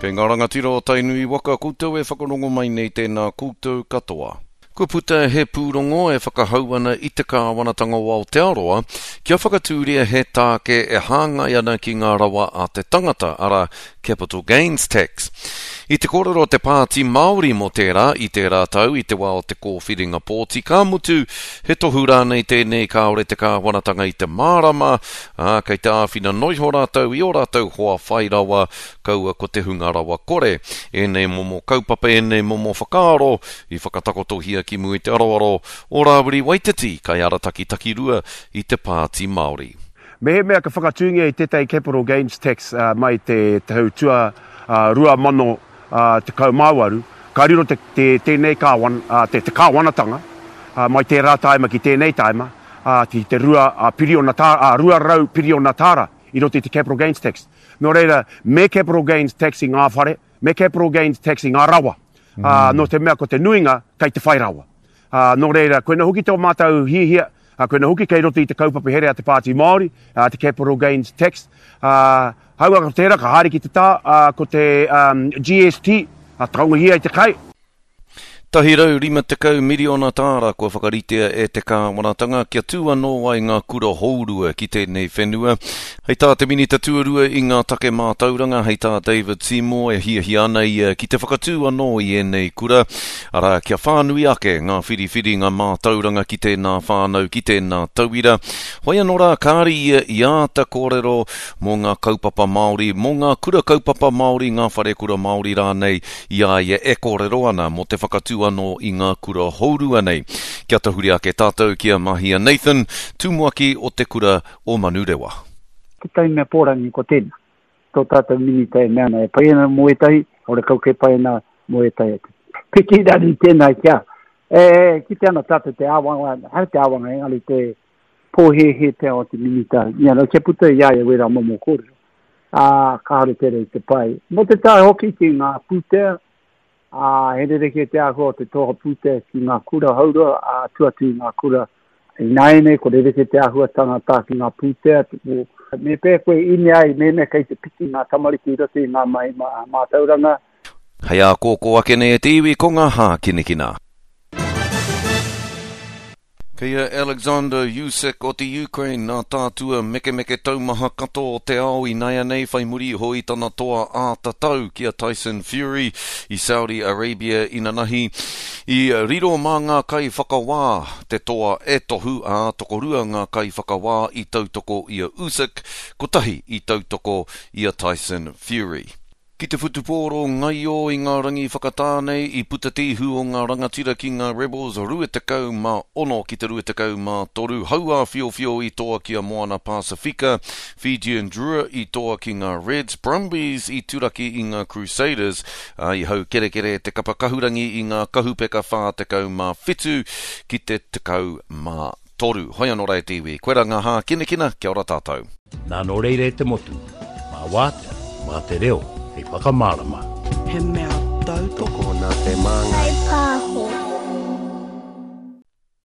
Kei ngā rangatira o Tainui waka koutou e whakarongo mai nei tēnā koutou katoa. Kua puta he pūrongo e whakahau ana i te kāwanatanga o Aotearoa kia whakatūria he tāke e hāngai ana ki ngā rawa a te tangata, arā, capital gains tax. I te kōrero te Pāti Māori mō tērā i tērā tau i te wā o te kōwhiringa pōti, ka mutu, he tohu rānei tēnei kāore te kāwanatanga i te mārama, ā, kei te āwhina noiho rātou i ō rātou hoa whai rawa, kaua ko te hunga rawa kore. Ēnei momo kaupapa, ēnei momo whakaaro i whakatakotohia ki mua i te aroaro o Rāwiri Waititi, kaiarataki takirua i te Pāti Māori. Mehemea ka whakatūngia i tētahi capital gains tax mai te tau tua 2018, ka riro te, te, tēnei kāwan, te, te kāwanatanga mai tērā tāima ki tēnei tāima, ki te 2 piriona tā, 200 piriona tāra i roto i te capital gains tax. Nō reira, me capital gains tax i ngā whare, me capital gains tax i ngā rawa. Mm. Uh, nō te mea ko te nuinga kei te whai rawa. Uh, nō reira, koina hoki tō mātou hiahia, uh, koina hoki kei roto i te kaupapa here a te Pāti Māori, uh, te capital gains tax. Uh, haua ko tērā, ka haere ki te tā, uh, ko te um, GST, uh, taungahia i te kai. 150 miriona tāra kua whakaritea e te kāwanatanga kia tū anō ai ngā kura hourua ki tēnei whenua. Hei tā te Minita Tuarua i ngā take mātauranga, hei tā David Seymour e hiahia ana ia ki te whakatū anō i ēnei kura, arā, kia whānui ake ngā whiriwhiringa mātauranga ki tēnā whānau, ki tēnā tauira. Hoi anō rā, kāre ia i āta kōrero mō ngā kaupapa Māori, mō ngā kura kaupapa Māori, ngā wharekura Māori rānei, I a ia e kōrero ana mō te whakatū anō i ngā kura hourua nei. Kia tahuri ake tātou ki a Mahia Nathan, tumuaki o te kura o Manurewa. Tētahi mea pōrangi ko tēnā, tō tātou minita e mea ana e pai ana mō ētahi, horekau kei pai ana mō ētahi atu. Piki rari tēnā kia, e kite ana tātou te āwangawanga, ehara te āwangawanga engari te pōhēhē pea o te minita, you know, kia puta i a ia wērā momo kōrero. ā, kāore tērā i te pai. Mō te tae hoki ki ngā pūtea, ā, he rerekē te āhua o te toha pūtea ki ngā kura haurua, ā, tua atu i ngā kura ināianei, ko rerekē te āhuatanga tā ki ngā pūtea, mō, me pēhea koe ine ai mēnā kei te piki ngā tamariki i roto i ngā mahi mātauranga. Hei ākōkō ake nei e te iwi ko ngā hākinakina. Kei a Alexander Usyk o te Ukraine nā tātua mekemeke taumaha katoa o te ao inaianei whai muri iho i tana toa āta tau ki a Tyson Fury i Saudi Arabia inanahi. I riro mā ngā kaiwhakawā te toa e tohu, ā, tokorua ngā kaiwhakawā i tautoko i a Usyk, kotahi i tautoko i a Tyson Fury. Ki te whutupōro ngaio i ngā rangi whakatā nei, i puta te ihu o ngā rangatira ki ngā Rebels 26 ki te 23, hauāwhiowhio i toa ki a Moana Pasifika, Fijian Drua i toa ki ngā Reds, Brumbies i turaki i ngā Crusaders, ā, i haukerekere te kapa kahurangi i ngā kahupeka 47 ki te 13. Hoi anō rā e te iwi, koirā ngā hākinakina, kia ora tātou. Nā nō reira e te motu, mā wātea, mā te reo hei whakamārama. He mea tautoko. Tokona te māngai.